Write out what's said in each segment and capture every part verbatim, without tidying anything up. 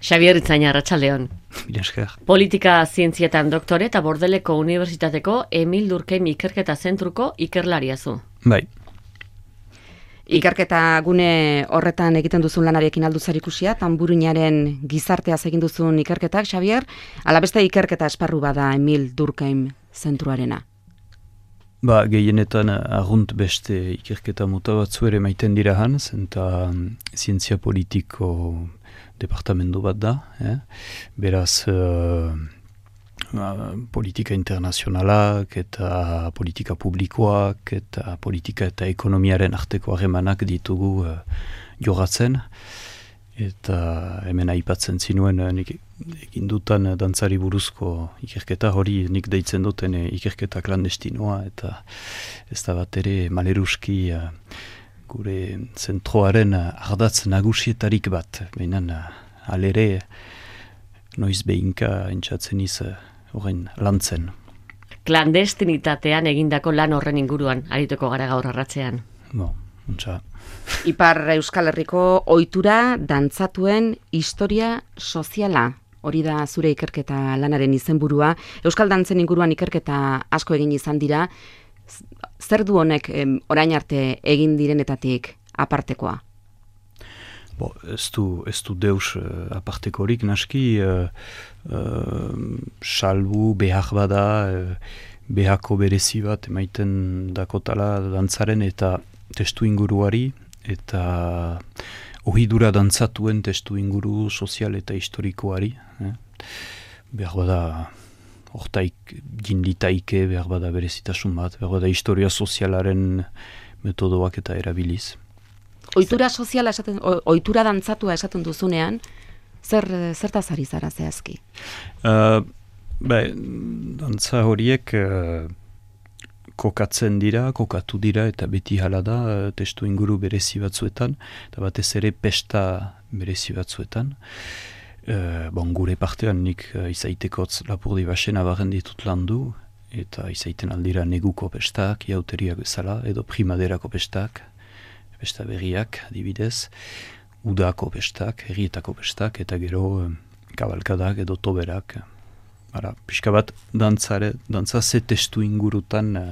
Xabier Itzaina, arratsaldeon. Bilesker. Politika zientzietan doktore eta Bordeleko Unibertsitateko Emil Durkheim Ikerketa Zentruko ikerlaria zu. Bai. Ikerketa gune horretan egiten duzun lanarekin aldu zarikusia, Tanburuinaren gizarteaz egin duzun ikerketak, Xabier, ala beste ikerketa esparru bada Emil Durkheim Zentruarena. Ba, gehienetan arrunt beste ikerketa mota batzu ere maiten dira hanz, eta zientzia politiko departamendu bat da. Eh? Beraz, uh, politika internazionalak eta politika publikoak eta politika eta ekonomiaren arteko harremanak ditugu uh, jogatzen. Eta hemen aipatzen zinuen nik egin dutan dantzari buruzko ikerketa hori nik deitzen duten ikerketa klandestinoa eta ez da bat ere maleruski uh, gure zentroaren ardatz nagusietarik bat. Behinan uh, alere noiz behinka entzatzen iz horren uh, lantzen. Klandestinitatean egindako lan horren inguruan arituko gara gaur arratsean. Bo, untsa. Ipar Euskal Herriko ohitura dantzatuen historia soziala. Hori da zure ikerketa lanaren izenburua. Euskal dantzen inguruan ikerketa asko egin izan dira. Zer du honek em, orain arte egin direnetatik apartekoa? Bo, ez du, ez du deus uh, apartekorik naski, uh, uh, salbu behar bada, uh, behako berezi bat emaiten dakotala dantzaren eta testu inguruari, eta ohidura dantzatuen testu inguru sozial eta historikoari. Eh? Behar bada hortaik jinditaike, behar bada berezitasun bat, behar bada historia sozialaren metodoak eta erabiliz. Ohitura soziala esaten, ohitura dantzatua esaten duzunean, zer zertaz ari zara zehazki? Uh, bai, dantza horiek uh, kokatzen dira, kokatu dira eta beti hala da uh, testu inguru berezi batzuetan, eta batez ere pesta berezi batzuetan. Uh, bon, gure partean nik uh, izaitekotz Lapurdi Baxen abarren ditut landu, eta izaiten aldira neguko pestak, jauteriak bezala, edo primaderako pestak, pesta berriak, adibidez, udako pestak, herrietako pestak, eta gero uh, kabalkadak edo toberak. Bara, pixka bat dantzare, dantza ze testu ingurutan uh,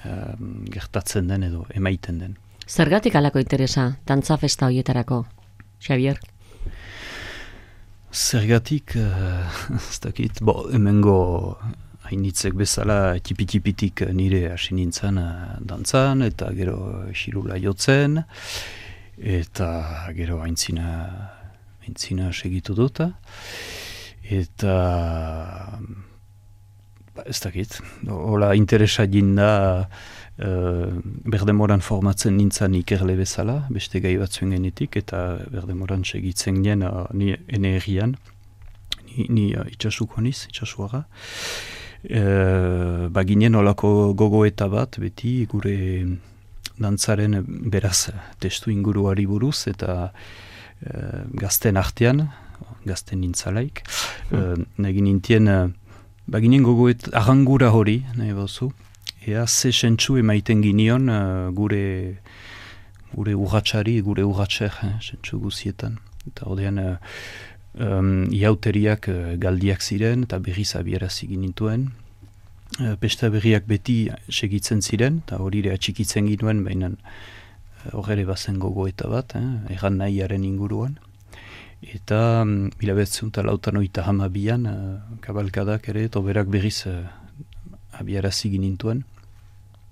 uh, gertatzen den edo emaiten den. Zergatik alako interesa dantza festa horietarako, Xabier? Zergatik, uh, ez dakit, bo, hemengo hainitzek bezala tipi-tipitik nire hasi nintzen uh, dantzan, eta gero xirula jotzen, eta gero haintzina, haintzina segitu duta. Eta ba, ez dakit, hola interesa jinda uh, berdemoran formatzen nintzen ikerle bezala, beste gai batzuen genetik, eta berdemoran segitzen ginen uh, ni ene herrian, ni, ni uh, itxasuko niz, itxasuara. Uh, ba ginen olako gogoeta bat, beti gure dantzaren beraz testu inguruari buruz, eta uh, gazten artean, gazten nintzalaik. Hmm. Uh, Negin nintien, uh, baginen gogoet arrangura hori, nahi bauzu, ea ze sentsu emaiten ginion uh, gure gure urratxari, gure urratxer, eh, sentsu guzietan. Eta ordean, uh, um, iauteriak uh, galdiak ziren, eta berriz abierazi ginituen. Uh, pesta berriak beti segitzen ziren, eta hori ere atxikitzen ginuen, baina horre uh, bazen gogoeta bat, eh, erran nahiaren inguruan. Eta mila behatzen eta lautan oita hamabian uh, kabalkadak ere, toberak berriz uh, abiarazi ginintuen.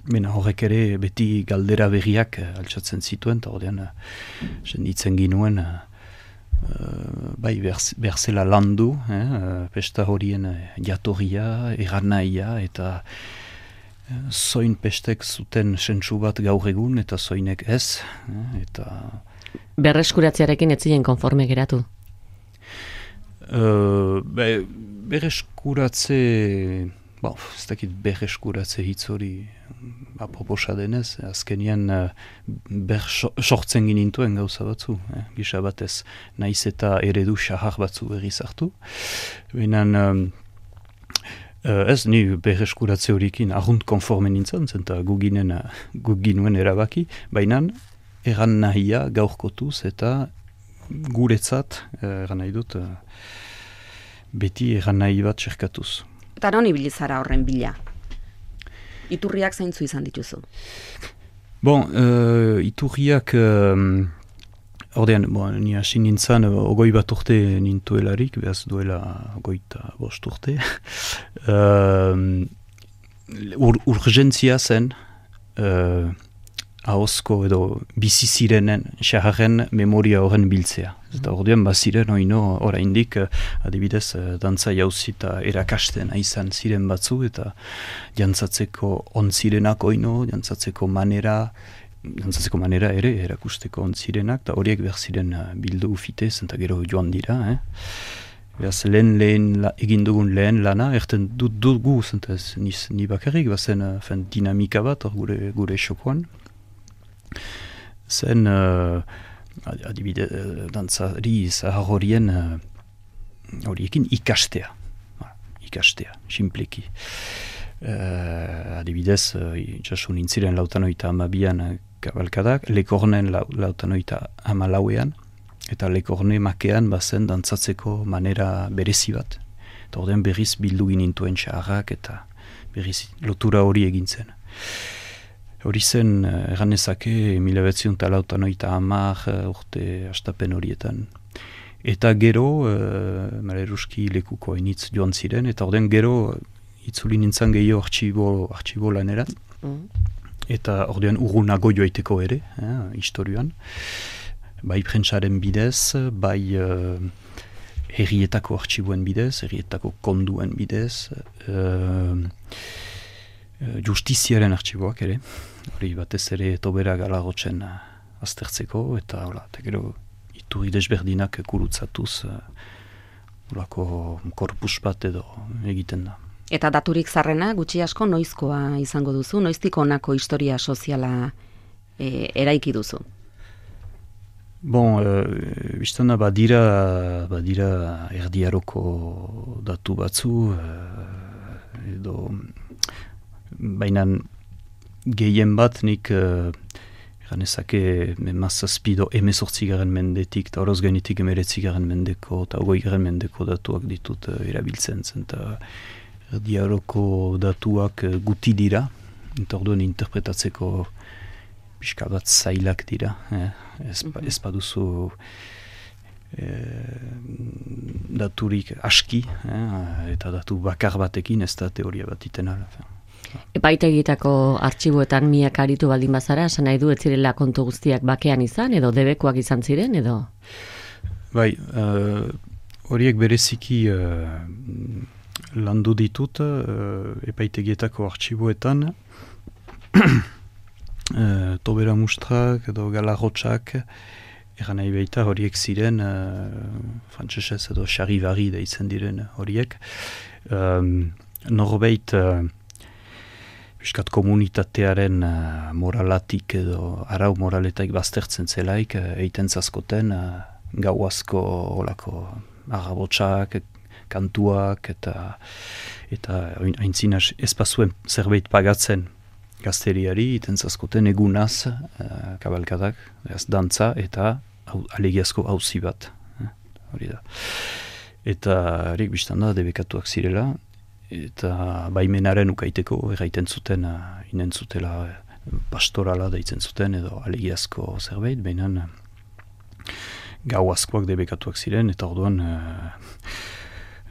Bena horrek ere beti galdera berriak uh, altsatzen zituen, eta horrean uh, senditzen ginuen uh, uh, bai behar zela landu, eh, uh, pesta horien uh, jatorria, erranaia, eta uh, zoin pestek zuten sentsu bat gaur egun, eta zoinek ez, eh, eta Berreskuratzearekin ez ziren konforme geratu? Uh, be, berreskuratze, bo, ez dakit berreskuratze hitz hori aproposa denez, azkenian uh, ber sortzen ginintuen gauza batzu, eh? Gisa batez, naiz eta eredu xahar batzu berriz hartu. Benan, um, uh, ez ni berreskuratze horikin arrunt konforme nintzen, zenta guginen, uh, guginuen erabaki, bainan, erran nahia gaurkotuz eta guretzat, eran nahi dut, beti eran nahi bat txerkatuz. Eta non ibili zara horren bila? Iturriak zeintzu izan dituzu? Bon, uh, iturriak, uh, ordean, bon, ni hasi nintzen, ogoi bat urte nintuelarik, behaz duela ogoita bost urte. uh, ur, urgentzia zen, uh, ahozko edo bizi zirenen xaharren memoria horren biltzea. Eta ordean baziren oino oraindik adibidez dantza jauzita erakasten izan ziren batzu eta jantzatzeko ontzirenak oino, jantzatzeko manera, jantzatzeko manera ere erakusteko ontzirenak, eta horiek behar ziren bildu ufitez eta gero joan dira. Eh? Beraz, lehen lehen la, egin dugun lehen lana, erten dut dugu, zentaz, ni bakarrik, bazen uh, dinamika bat gure, gure xokoan. Zen, uh, adibide, uh, dantzari zahar horien uh, horiekin ikastea. Voilà, ikastea, simpleki. Uh, adibidez, uh, jaso nintziren lautanoita amabian uh, kabalkadak, lekornen lau, lautanoita amalauean, eta lekorne makean bazen dantzatzeko manera berezi bat. Eta ordean berriz bildu ginintuen xaharrak eta berriz lotura hori egin zen. Hori zen, erran ezake, mila behatziun talautan oita hamar urte astapen horietan. Eta gero, uh, maleruski lekuko hainitz joan ziren, eta ordean gero itzuli nintzen gehiago artxibo, artxibo lanerat. Mm. Eta ordean urrunago joaiteko ere, eh, historioan. Bai prentsaren bidez, bai uh, herrietako artxiboen bidez, herrietako konduen bidez, uh, justiziaren artxiboak ere, hori batez ere tobera galagotzen uh, aztertzeko, eta hola, eta gero iturri desberdinak kurutzatuz uh, holako korpus bat edo egiten da. Eta daturik zarrena, gutxi asko noizkoa izango duzu, noiztik honako historia soziala e, eraiki duzu? Bon, uh, biztana badira, badira erdiaroko datu batzu, uh, edo baina gehien bat nik uh, ganezake mazazpido emezortzigaren mendetik eta horoz gainetik emeretzigaren mendeko eta ogoigaren mendeko datuak ditut uh, erabiltzen zen eta erdiaroko datuak uh, guti dira eta orduan interpretatzeko pixka bat zailak dira eh? ez, ez baduzu eh, daturik aski eh? eta datu bakar batekin ez da teoria bat iten ala. Epaitegitako artxiboetan miak aritu baldin bazara, esan nahi du ez zirela kontu guztiak bakean izan, edo debekoak izan ziren, edo? Bai, uh, horiek bereziki uh, landu ditut uh, epaitegietako artxiboetan, uh, tobera mustrak edo galarrotxak, eran nahi baita horiek ziren, uh, frantsesez edo xarribarri deitzen diren horiek, um, norbeit uh, Piskat komunitatearen uh, moralatik edo arau moraletak baztertzen zelaik, uh, eiten zazkoten uh, gau asko olako agabotxak, kantuak eta eta haintzina espazuen zerbait pagatzen gazteriari, eiten zazkoten egunaz uh, kabalkadak, ez dantza eta au, alegiazko hauzi bat. Eh, hori da. Eta erik biztan da, debekatuak zirela, eta baimenaren ukaiteko erraiten zuten, uh, inen zutela uh, pastorala deitzen zuten edo alegiazko zerbait, baina uh, gau askoak debekatuak ziren, eta orduan uh,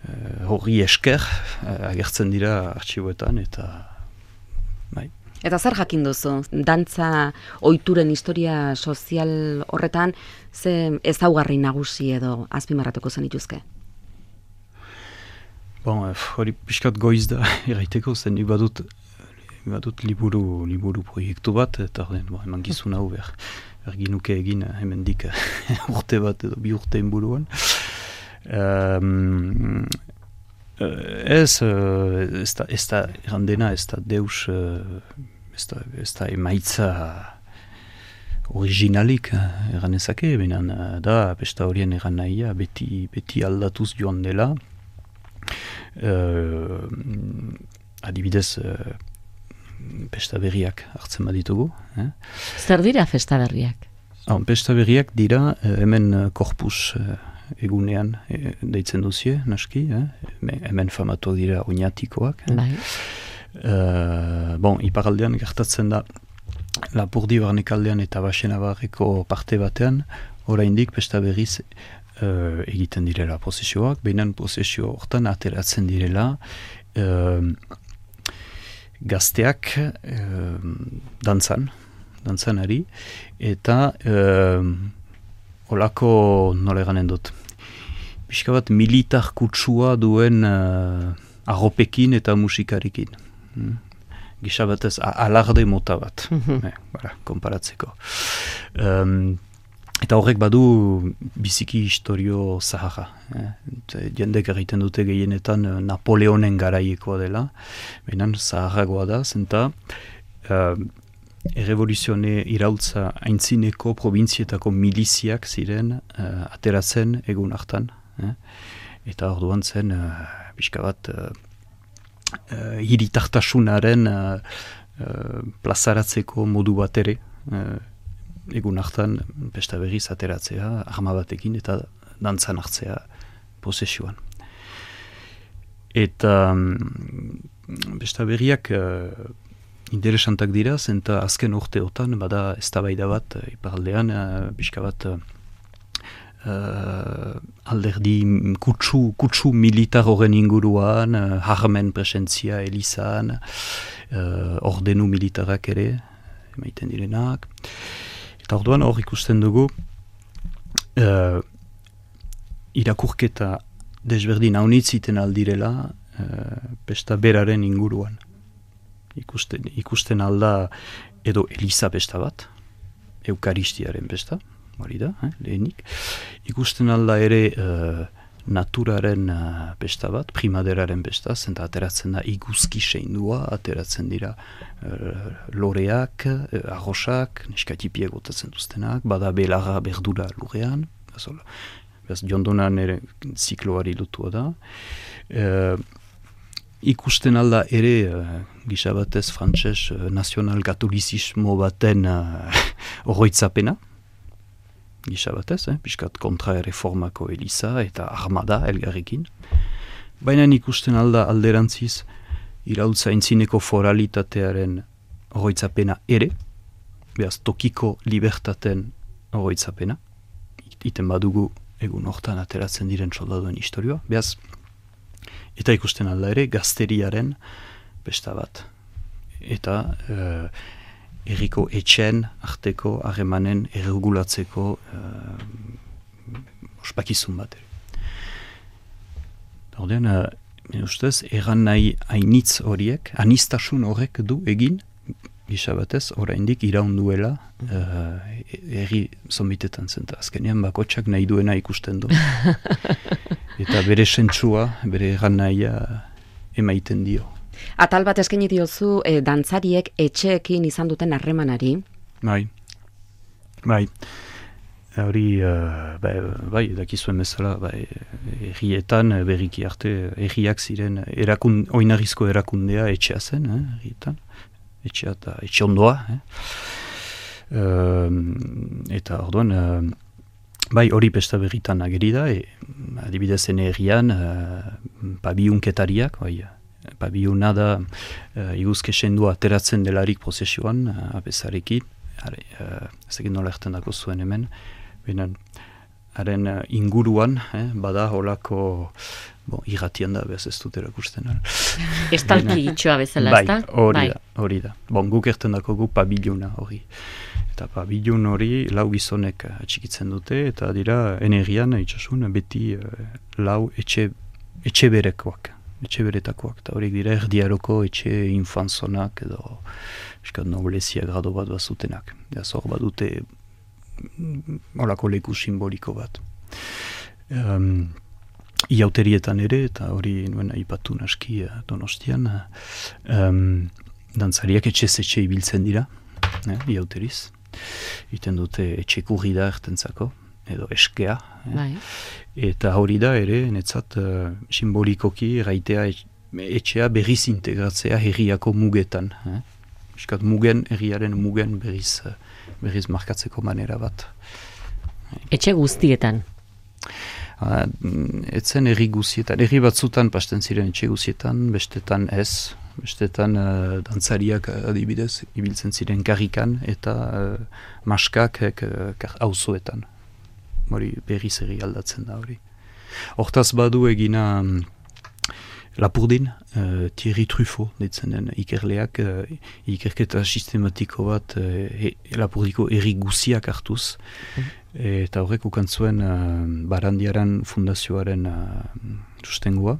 uh, horri esker uh, agertzen dira artxiboetan, eta bai. Eta zer jakin duzu? Dantza ohituren historia sozial horretan, ze ezaugarri nagusi edo azpimarratuko zenituzke? Bon, hori pixkat goiz da, erraiteko zen, nik badut, badut liburu, liburu proiektu bat, eta bon, eman gizun hau behar, erginuke egin hemendik urte bat edo bi urte inburuan. Um, ez, ez da, ez da errandena, ez da deus, ez da, ez da emaitza originalik erranezake, benen da, pesta horien erran nahia, beti, beti aldatuz joan dela. Uh, adibidez uh, pesta berriak hartzen baditugu. Eh? Zer dira festa berriak? Ah, pesta berriak dira, hemen korpus egunean e, deitzen duzie, naski, eh? hemen famatu dira oinatikoak. Eh? Bai. Uh, bon, iparaldean gertatzen da, Lapurdi barnekaldean eta Baxenabarreko parte batean, oraindik pesta berriz uh, egiten direla prozesioak, behinan prozesio hortan ateratzen direla uh, gazteak uh, dantzan, dantzanari, eta uh, olako nola eganen dut. Pixka bat militar kutsua duen uh, arropekin eta musikarikin. Hmm? Gisa batez alarde mota bat, mm-hmm. eh, bara, konparatzeko. Um, eta horrek badu biziki historio zaharra. Eh? Jendek egiten dute gehienetan Napoleonen garaiekoa dela, behinan zaharragoa da, zenta uh, errevoluzione iraultza aintzineko probintzietako miliziak ziren uh, ateratzen egun hartan. Eh? Eta orduan zen, uh, pixka bat, uh, uh, hiritartasunaren uh, uh, plazaratzeko modu bat ere, uh, egun hartan pesta berriz ateratzea, arma batekin eta dantzan hartzea posesioan. Eta um, pesta berriak uh, interesantak dira, zenta azken urteotan, bada eztabaida bat, uh, iparaldean, uh, pixka bat, uh, Uh, alderdi kutsu, kutsu militar horren inguruan, uh, harmen presentzia elizan, uh, ordenu militarak ere, emaiten direnak. Eta orduan hor ikusten dugu, uh, irakurketa desberdin haunitziten aldirela, uh, pesta beraren inguruan. Ikusten, ikusten alda edo eliza pesta bat, eukaristiaren pesta, hori da, eh, lehenik. Ikusten alda ere uh, naturaren uh, besta bat, primaderaren besta, zenta ateratzen da iguzki seindua, ateratzen dira uh, loreak, uh, arrosak, neskatipiak gotatzen duztenak, bada belarra berdura lurrean, bez jondonan ere zikloari lotua da. Uh, ikusten alda ere, uh, gisa batez frantses uh, nazional katolizismo baten uh, oroitzapena, gisa batez, eh? Piskat kontra erreformako eliza eta armada elgarrekin. Baina ikusten alda alderantziz iraultza aintzineko foralitatearen oroitzapena ere, behaz tokiko libertaten oroitzapena, iten badugu egun hortan ateratzen diren soldaduen historioa, behaz, eta ikusten alda ere gazteriaren besta bat. Eta uh, erriko etxen arteko harremanen erregulatzeko uh, ospakizun bat. Ordean, uh, ustez, erran nahi hainitz horiek, anistasun horrek du egin, gisa batez, oraindik iraunduela uh, erri zonbitetan zen. Azkenean bakotxak nahi duena ikusten du. Eta bere sentsua, bere erran nahia emaiten dio. Atal bat eskaini diozu e, dantzariek etxeekin izan duten harremanari. Bai, bai, hori, uh, bai, bai, dakizuen bezala, bai, errietan berriki arte, erriak ziren, erakun, oinarrizko erakundea etxea zen, eh, errietan, etxea eta etxe ondoa. Eh. Uh, eta orduan, uh, bai, hori pesta berritan ageri da, e, adibidez ene errian, uh, pabiunketariak, bai, pabiuna da uh, iguzke sendua ateratzen delarik prozesioan, uh, abezarekin, uh, ez egin nola erten dako zuen hemen, benen, haren uh, inguruan, eh, bada holako, bon, irratian da, behaz ez dut erakusten. Estalki itxoa bezala, bai, ezta? Hori da, hori da. Bon, guk erten dako gu pabiluna hori. Eta pabilun hori lau gizonek atxikitzen dute, eta dira energian, itxasun, beti uh, lau etxe, etxe berekoak. Etxe beretakoak, eta horiek dira erdiaroko etxe infanzonak edo eskat noblezia grado bat bazutenak. Eta zor bat dute olako leku simboliko bat. Um, Iauterietan ere, eta hori nuen aipatu naski uh, Donostian, um, dantzariak etxe etxe ibiltzen dira, eh, iauteriz. Iten dute etxe kurri da ertentzako, edo eskea. Eh? Bai. Eta hori da ere, netzat, uh, simbolikoki raitea etxea berriz integratzea herriako mugetan. Eh? Eskat mugen, herriaren mugen berriz uh, berriz markatzeko manera bat. Etxe guztietan? Uh, etzen erri guztietan, erri batzutan pasten ziren etxe guztietan, bestetan ez, bestetan uh, dantzariak adibidez, ibiltzen ziren karrikan eta uh, maskak uh, auzoetan. Hori berriz erri aldatzen da hori. Hortaz badu egina um, Lapurdin, uh, Thierry Truffaut, ditzen den ikerleak, uh, ikerketa sistematiko bat uh, e, Lapurdiko erri guziak hartuz, mm. eta horrek ukantzuen uh, Barandiaran fundazioaren uh, sustengua,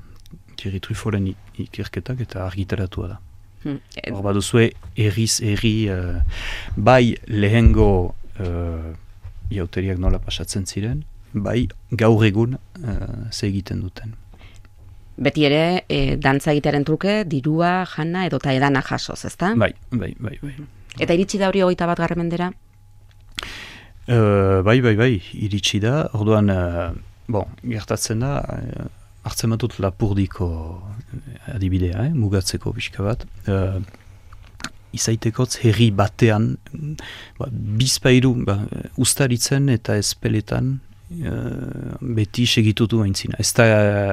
Thierry Truffauren ikerketak eta argitaratua da. Mm. Hor baduzue erriz erri, uh, bai lehengo uh, iauteriak nola pasatzen ziren, bai gaur egun uh, ze egiten duten. Beti ere, e, dantza egitearen truke, dirua, jana edo ta edana jasoz, ezta? Bai, bai, bai, bai. Eta iritsi da hori hogeita bat garren mendera? Uh, bai, bai, bai, iritsi da. Orduan, uh, bon, gertatzen da, uh, hartzen batut Lapurdiko adibidea, eh, mugatzeko pixka bat. Uh, izaitekotz herri batean, ba, bizpairu, ba, ustaritzen eta ezpeletan, Uh, beti segitutu aintzina. Ez da,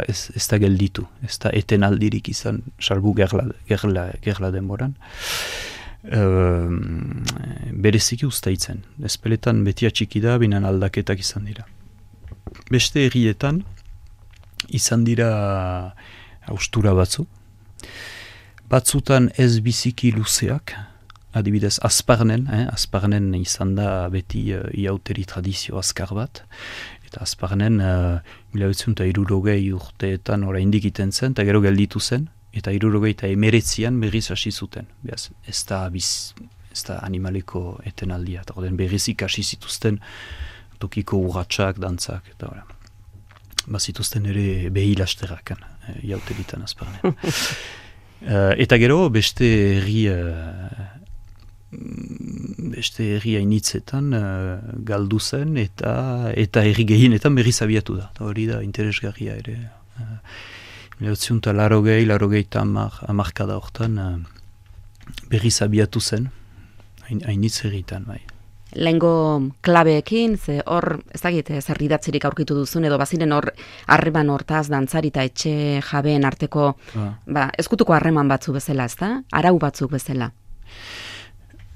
ez, ez da gelditu, ez da eten aldirik izan, salbu gerla, gerla, gerla denboran. Uh, bereziki ustaitzen. Ezpeletan beti atxiki da, binan aldaketak izan dira. Beste herrietan, izan dira haustura batzu. Batzutan ez biziki luzeak, adibidez, Azparnen, eh? Azparnen izan da beti uh, iauteri tradizio azkar bat, eta Azparnen uh, mila behatzen eta hirurogei urteetan oraindik iten zen, eta gero gelditu zen, eta hirurogei eta emeretzian berriz hasi zuten. Beaz, ez da, biz, ez da animaleko etenaldia, eta den berriz ikasi zituzten tokiko urratsak, dantzak, eta ora. Bazituzten ere behilasterrakan, eh, iauteritan Azparnen. uh, eta gero beste herri uh, beste herri hainitzetan uh, galdu zen eta eta herri gehienetan berriz abiatu da. Hori da interesgarria ere. Uh, Leotziunta larogei, larogei eta amarkada hortan uh, berriz abiatu zen, hainitz herritan, bai. Lehengo klabeekin, ze hor, ez dakit, zer idatzirik aurkitu duzun, edo baziren hor harreman hortaz, dantzari eta etxe jabeen arteko, ah. ba, ezkutuko harreman batzu bezala, ez da? Arau batzuk bezala.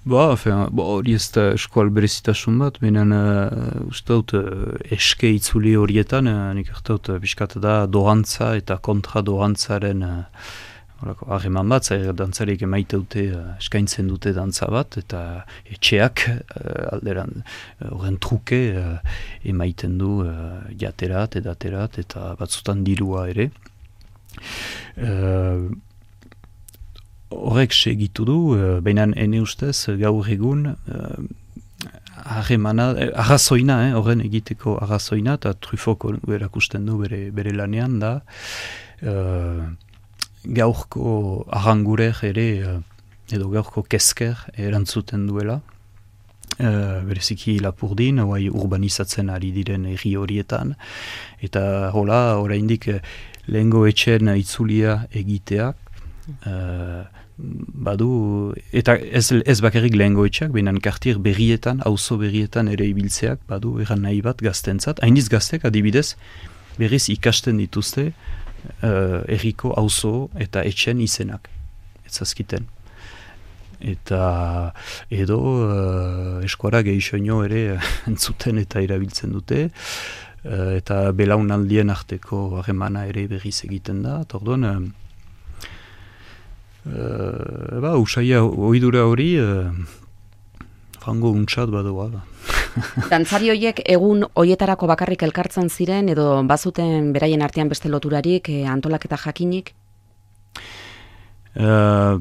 Ba, hori ez da eskual berezitasun bat, benen uh, uste dut uh, eske itzuli horietan, uh, nik hartaut uh, biskat da doantza eta kontra doantzaren uh, harreman bat, zair dantzariek emaiteute uh, eskaintzen dute dantza bat, eta etxeak uh, alderan horren uh, truke uh, emaiten du uh, jaterat, edaterat, eta batzutan dirua ere. Uh, Horrek segitu du, uh, baina ene ustez gaur egun harremana, uh, arrazoina, eh, horren egiteko arrazoina, eta Truffauko erakusten du bere, bere lanean da, uh, gaurko arrangurer ere, uh, edo gaurko kesker erantzuten duela, uh, bereziki Lapurdin, oai urbanizatzen ari diren herri horietan, eta hola, oraindik lehengo etxen itzulia egiteak, Uh, badu, eta ez, ez bakarrik lehengo etxeak, behinan kartier berrietan, auzo berrietan ere ibiltzeak, badu erran nahi bat gaztentzat. Hainiz gaztek adibidez, berriz ikasten dituzte uh, erriko auzo eta etxen izenak, ez zazkiten. Eta edo uh, eskuara gehixoino ere entzuten eta erabiltzen dute, uh, eta belaunaldien arteko harremana ere berriz egiten da, eta orduan, uh, Uh, ba, usaia oidura hori uh, frango untsat badoa da. Dantzari horiek egun hoietarako bakarrik elkartzen ziren edo bazuten beraien artean beste loturarik eh, antolaketa jakinik? Uh,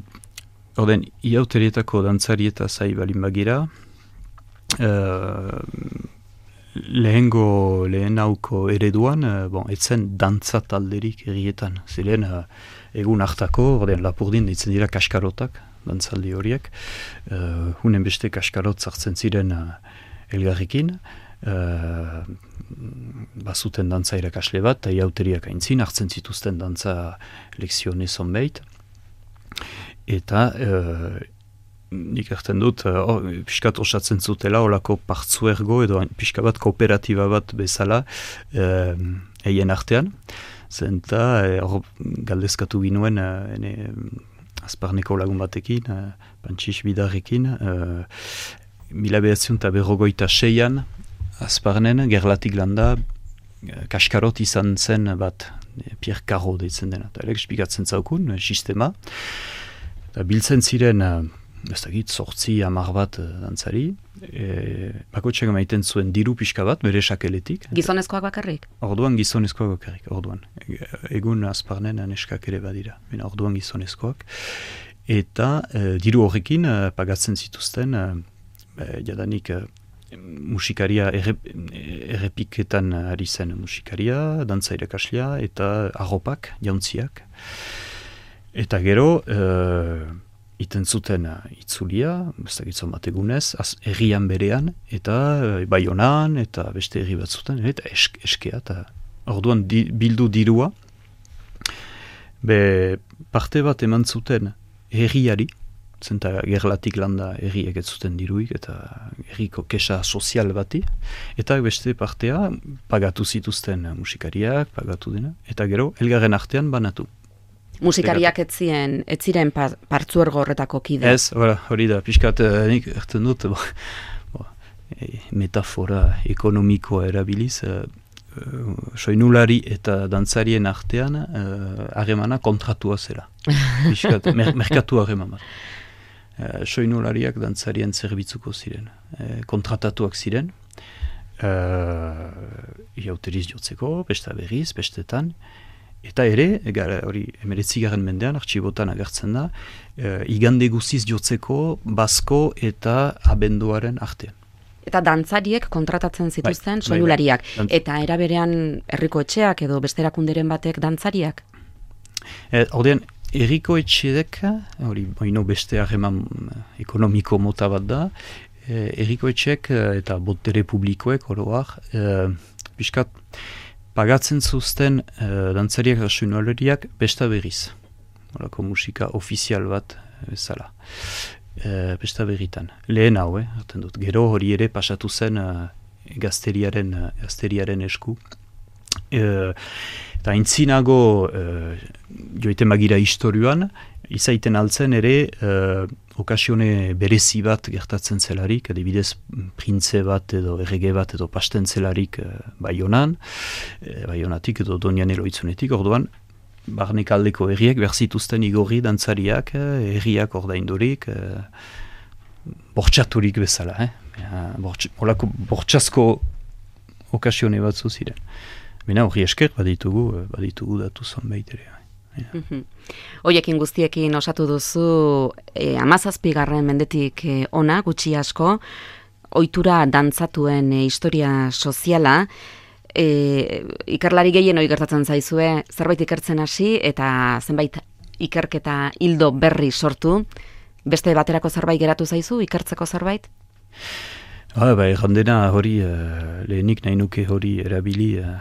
Orden, iauterietako dantzari eta zai balin bagira, uh, lehengo lehen hauko ereduan, uh, bon, etzen dantza talderik errietan, ziren uh, egun hartako, orden Lapurdin ditzen dira kaskarotak, dantzaldi horiek, uh, hunen beste kaskarot zartzen ziren uh, elgarrekin, uh, bazuten dantza irakasle bat, eta iauteriak aintzin, hartzen zituzten dantza lekzione zonbait, eta uh, nik erten dut, uh, pixkat osatzen zutela, olako partzuergo edo pixka bat kooperatiba bat bezala eien uh, artean. Zenta, hor uh, galdezkatu ginuen, uh, ene, azparneko lagun batekin, uh, Pantxix Bidarrekin, uh, mila behatziun eta berrogoita seian, azparnen, gerlatik landa, uh, kaskarot izan zen bat, Pierre Carro deitzen dena, eta elek espikatzen zaukun, sistema, eta biltzen ziren, uh, ez dakit, sortzi, amar bat uh, dantzari, e, bakotxeak maiten zuen diru pixka bat, bere sakeletik. Gizonezkoak bakarrik? Orduan gizonezkoak bakarrik, orduan. Egun azparnen neskak ere badira, bina orduan gizonezkoak. Eta uh, diru horrekin uh, pagatzen zituzten, uh, jadanik, uh, musikaria errep, errepiketan ari zen musikaria, dantza irakaslia eta arropak, jauntziak. Eta gero, uh, iten zuten uh, itzulia, ez dakitzen bat egunez, errian berean, eta uh, Baionan, eta beste herri bat zuten, eta esk, eskea, eta orduan di, bildu dirua, be parte bat eman zuten herriari, zenta gerlatik landa herriek ez zuten diruik, eta herriko kesa sozial bati, eta beste partea pagatu zituzten musikariak, pagatu dena, eta gero, elgarren artean banatu. Musikariak ez ziren, ez ziren pa, partzuergo horretako kide? Ez, hori da, pixkat, nik erten dut, bo, bo, e, metafora ekonomikoa erabiliz, e, e, soinulari eta dantzarien artean harremana uh, kontratua zera. Pixkat, mer, merkatu harreman bat. Uh, soinulariak dantzarien zerbitzuko ziren, uh, kontratatuak ziren, uh, iauteriz jotzeko, besta berriz, bestetan, eta ere, gara, hori emeretzigarren mendean, artxibotan agertzen da, uh, igande guziz jotzeko, basko eta abenduaren artean. Eta dantzariek kontratatzen zituzten, bai, soinulariak, bai, bai. Eta eraberean herriko etxeak edo beste erakunderen batek dantzariak? Eh, Ordean, herriko etxeek, hori oino beste harreman ekonomiko mota bat da, eh, herriko etxeek eta botere publikoek oroak, eh, piskat, pagatzen zuzten uh, dantzariak eta soinulariak besta berriz. Horako musika ofizial bat bezala. Uh, besta berritan. Lehen hau, eh, hartzen dut. Gero hori ere pasatu zen uh, gazteriaren, uh, gazteriaren esku. Uh, eta intzinago uh, joiten magira historioan, izaiten altzen ere uh, okasione berezi bat gertatzen zelarik, adibidez printze bat edo errege bat edo pasten zelarik uh, Baionan, uh, Baionatik edo Donian Eloitzunetik, orduan barnek aldeko herriak berzituzten igorri dantzariak, uh, herriak ordaindurik, uh, bortxaturik bezala, eh? Uh, bortx, olako bortxasko okasione batzu ziren. Bena hori esker baditugu, baditugu datu zonbait ere. Hoiekin guztiekin osatu duzu e, amazazpigarren mendetik e, ona, gutxi asko, ohitura dantzatuen e, historia soziala, e, ikerlari gehien hori gertatzen zaizue, zerbait ikertzen hasi eta zenbait ikerketa hildo berri sortu, beste baterako zerbait geratu zaizu, ikertzeko zerbait? Ah, ba, errandena hori, uh, lehenik nahi nuke hori erabili, uh,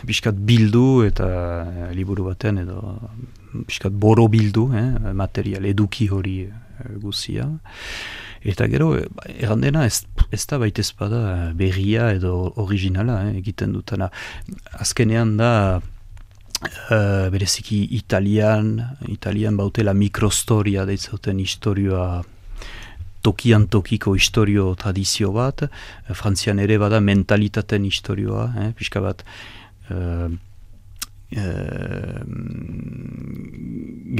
biskat bildu eta uh, liburu baten edo biskat boro bildu, eh, material eduki hori uh, guzia. Eta gero, errandena ez, ez da baitez bada berria edo originala eh, egiten dutana. Azkenean da, uh, bereziki italian, italian bautela mikrostoria deitzauten historioa, tokian tokiko historio tradizio bat, Frantzian ere bada mentalitaten historioa, eh, pixka bat uh, uh,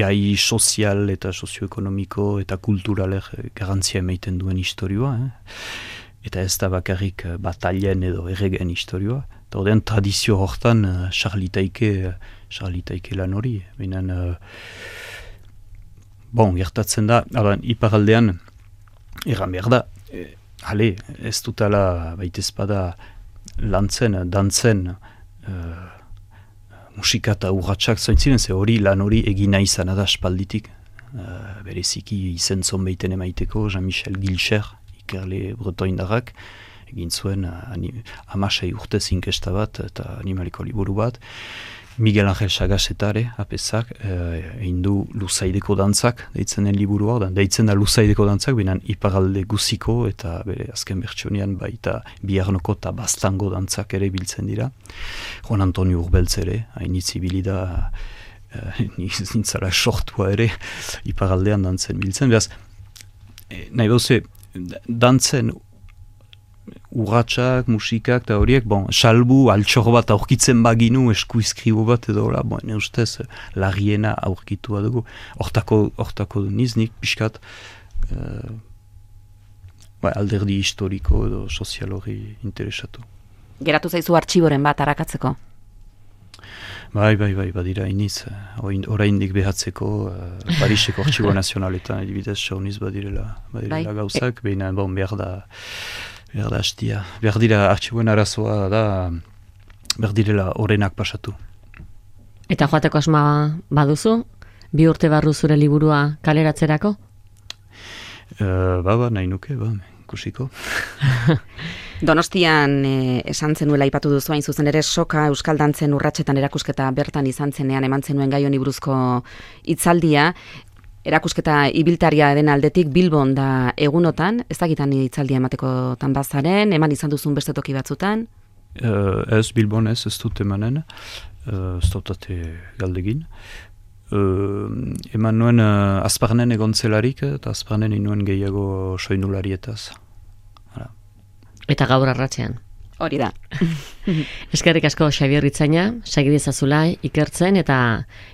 gai sozial eta sozioekonomiko eta kulturaler garantzia emaiten duen historioa, eh. Eta ez da bakarrik batalien edo erregen historioa, eta ordean tradizio hortan uh, charlitaike, charlitaike lan hori, binen uh, bon, gertatzen da, adan, iparaldean erran behar da, e, hale, ez dutala baitezpada lantzen, dantzen, e, musika eta urratxak zointziren, ze hori lan hori egina izan da espalditik, e, bereziki izen zonbeiten emaiteko, Jean-Michel Gilcher, ikerle bretoindarrak, egin zuen amasei urte zinkesta bat eta animaliko liburu bat, Miguel Angel Sagasetare, apezak, egin du Luzaideko dantzak, deitzen den liburu hor, deitzen da Luzaideko dantzak, binen iparalde guziko eta bere azken bertsonian baita Biarnoko eta Bastango dantzak ere biltzen dira. Juan Antonio Urbeltz ere, hainitz ibili da, nintzara sortua ere, iparaldean dantzen biltzen. Beraz, nahi bauze, dantzen urratsak, musikak eta horiek, bon, salbu, altxor bat aurkitzen baginu, esku izkribo bat edo, la, bon, ne ustez, larriena aurkitu badugu. Hortako, hortako niznik, pixkat, uh, ba, alderdi historiko edo sozial hori interesatu. Geratu zaizu artxiboren bat arakatzeko? Bai, bai, bai, badira iniz, oraindik behatzeko, uh, Pariseko artxibo nazionaletan, edibidez, sauniz badirela, badirela bai. Gauzak, e... behin, bon, behar da, behar da hastia. Behar dira, artxiboen arazoa da, behar direla orenak pasatu. Eta joateko asma baduzu? Bi urte barru zure liburua kaleratzerako? Uh, ba, ba, nahi nuke, ba, kusiko. Donostian eh, esan zenuela aipatu duzu hain zuzen ere soka euskal dantzen urratsetan erakusketa bertan izan zenean eman zenuen gai honi buruzko hitzaldia. Erakusketa ibiltaria den aldetik Bilbon da egunotan, ez dakitan hitzaldia ematekotan bazaren, eman izan duzun beste toki batzutan? Uh, ez Bilbon ez, ez dut emanen, uh, ez dutate galdegin. Uh, eman nuen uh, azparnen egontzelarik eta azparnen inuen gehiago soinularietaz. Eta gaur arratsean. Hori da. Eskerrik asko Xabier Ritzaina, segidezazula ikertzen eta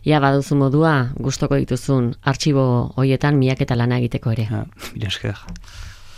ja baduzu modua gustoko dituzun artxibo hoietan miaketa lana egiteko ere. Ja, esker.